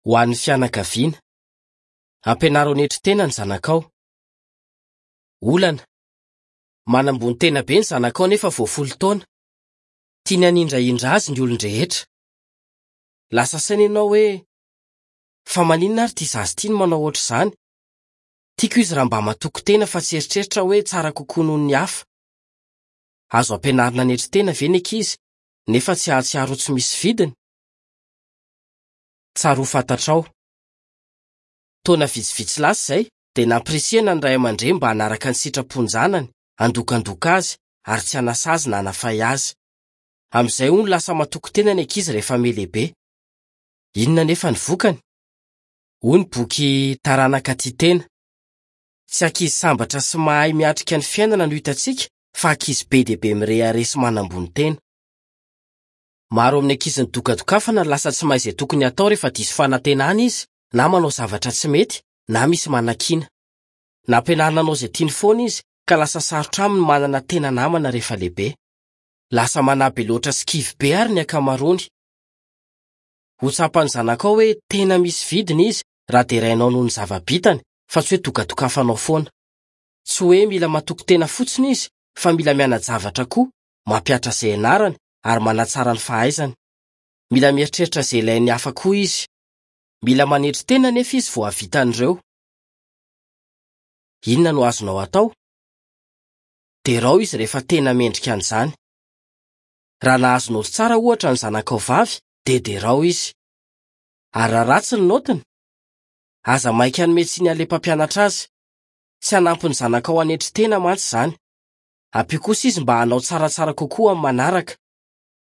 Ho an'ny fianakaviana. Ampianaro hanetry tena ny zanakao. Olana. Manambony tena be ny zanakao nefa vao folo taona. Tiany hanindrahindra azy ny olon-drehetra. Lasa saina ianao hoe, 'Fa maninona ary ity zaza ity no manao hoatr'izany? Tiako izy raha mba matoky tena fa tsy eritreritra hoe tsara kokoa noho ny hafa. Azo ampianarina hanetry tena ve ny ankizy nefa tsy hahatsiaro ho tsy misy vidiny? Tsara ho fantatrao. Taona vitsivitsy lasa izay dia nampirisihana ny ray aman-dreny mba hanaraka ny sitrapon-janany, handokandoka azy ary tsy hanasa azy na hanafay azy. Amin'izay hono lasa matoky tena ny ankizy rehefa mihalehibe. Inona anefa ny vokany? Hoy ny boky Taranaka Tia Tena, Tsy ankizy sambatra sy mahay miatrika ny fiainana no hitantsika fa ankizy be dia be mirehareha sy manambony tena. Maro amin'ny ankizy nidokadokafana no lasa tsy mahay izay tokony hatao rehefa diso fanantenana izy na manao zavatra tsy mety na misy manakiana. Nampianarina hanao izay tiany foana izy ka lasa sarotra aminy ny manana tena namana rehefa lehibe. Lasa manahy be loatra sy kivy be àry ny ankamaroany. Ho tsapan'ny zanakao hoe tena misy vidiny izy raha derainao noho ny zava-bitany fa tsy hoe dokadokafanao foana. Tsy hoe mila matoky tena fotsiny izy fa mila miana-javatra koa, mampihatra izay ianarany ary manatsara ny fahaizany. Mila mieritreritra izay ilain'ny hafa koa izy. Mila manetry tena anefa izy vao hahavita an'ireo. Inona no azonao atao? Derao izy rehefa tena mendrika an'izany. Raha nahazo naoty tsara ohatra ny zanakao vavy dia derao izy. Ary raha ratsy ny naotiny? Aza maika hanome tsiny an'ilay mpampianatra azy. Tsy hanampy ny zanakao hanetry tena mantsy izany. Ampio kosa izy mba hanao tsaratsara kokoa amin'ny manaraka.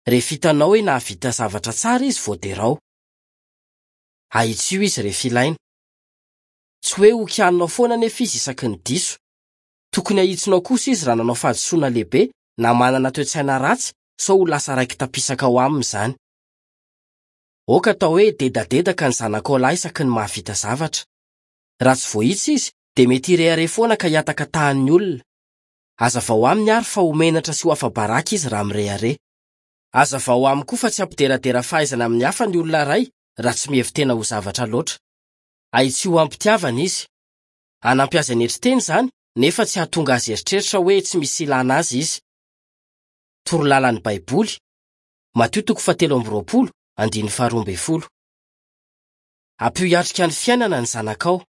Rehefa hitanao hoe nahavita zavatra tsara izy vao derao. Ahitsio izy rehefa ilaina. Tsy hoe hokianinao foana anefa izy isaky ny diso. Tokony hahitsinao kosa izy raha nanao fahadisoana lehibe na manana toe-tsaina ratsy sao ho lasa raiki-tapisaka ao aminy izany. Aoka atao hoe dedadedaka ny zanakao lahy isaky ny mahavita zavatra. Raha tsy voahitsy izy dia mety hirehareha foana ka hihataka tahan'ny olona. Hazavao aminy àry fa ho menatra sy ho afa-baraka izy raha mirehareha. Hazavao aminy koa fa tsy hampideradera fahaizana amin'ny hafa ny olona iray raha tsy mihevi-tena ho zavatra loatra. Ahitsio amim-pitiavana izy. Hanampy azy hanetry tena izany, nefa tsy hahatonga azy hieritreritra hoe tsy misy ilana azy izy. Torolalan'ny Baiboly, Matio toko fahatelo amby 20, andininy faharoa ambin'ny folo. Ampio hiatrika ny fiainana ny zanakao.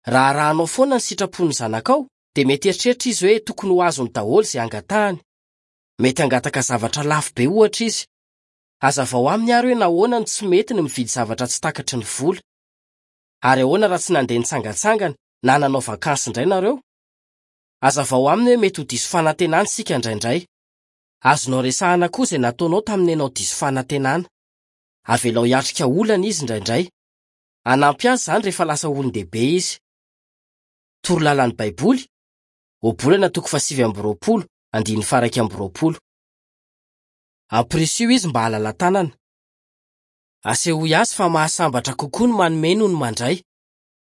Raha arahanao foana ny sitrapon'ny zanakao, dia mety hieritreritra izy hoe tokony ho azony daholo izay angatahany. Mety hangataka zavatra lafo be, ohatra, izy. Hazavao aminy àry hoe nahoana no tsy mety ny mividy zavatra tsy takatry ny vola. Ary ahoana raha tsy nandeha nitsangantsangana na nanao vakansy indray nareo? Hazavao aminy hoe mety ho diso fanantenana isika indraindray. Azonao resahina koa izay nataonao tamin'ny ianao diso fanantenana. Avelao hiatrika olana izy indraindray. Hanampy azy izany rehefa lasa olon-dehibe izy. Torolalan'ny Baiboly, Ohabolana toko faha-29, andininy faha-21. Ampirisiho izy mba halala-tanana. Asehoy azy fa mahasambatra kokoa ny manome noho ny mandray.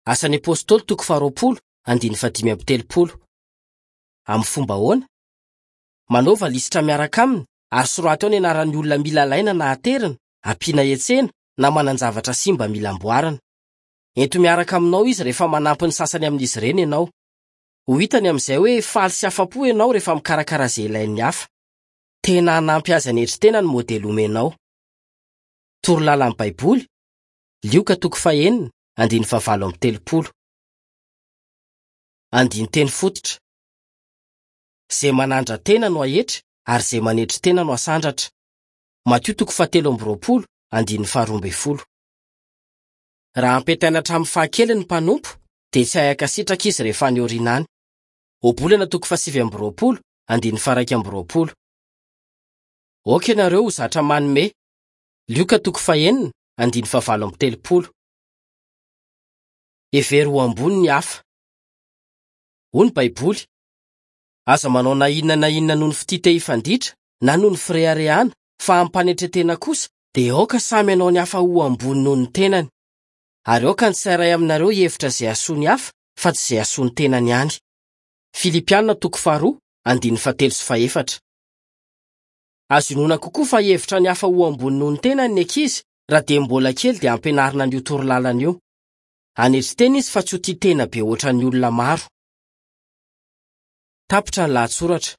Asan'ny Apostoly toko faha-20, andininy faha-35. Amin'ny fomba ahoana? Manaova lisitra miaraka aminy ary soraty ao ny anaran'ny olona mila alaina na aterina, ampiana hetsena, na manan-javatra simba mila amboarina. Ento miaraka aminao izy rehefa manampy ny sasany amin'izy ireny ianao. Ho hitany amin'izay hoe faly sy afa-po ianao rehefa mikarakara izay ilain'ny hafa. Tena hanampy azy hanetry tena ny modely omenao. Torolalan'ny Baiboly, Lioka toko fahenina, andininy fahavalo amby telopolo. Andinin-teny fototra. Izay manandra-tena no haetry ary izay manetry tena no hasandratra. Matio toko fahatelo amby 20, andininy faharoa ambin'ny folo. Raha ampetaina hatramin'ny fahakeliny ny mpanompo, dia tsy hay hankasitraka izy rehefa any aoriana any. Ohabolana toko fahasivy amby 20, andininy faha-21. Aoka ianareo ho zatra manome. Lioka toko fahenina, andininy fahavalo amby telopolo. Hevero ho ambony ny hafa. Hoy ny Baiboly, Aza manao na inona na inona noho ny fitia te hifanditra na noho ny fireharehana, fa amim-panetren-tena kosa dia aoka samy hanao ny hafa ho ambony noho ny tenany. Ary aoka ny tsirairay aminareo hihevitra izay hahasoa ny hafa fa tsy izay hahasoa ny tenany ihany. Filipiana toko faharoa, andininy fahatelo sy fahefatra. Azo inoana kokoa fa hihevitra ny hafa ho ambony noho ny tenany ny ankizy. Raha dia mbola kely dia ampianarina an'io torolalana io. Hanetry tena izy fa tsy ho tia tena be hoatran'ny olona maro. Tapitra ny lahatsoratra.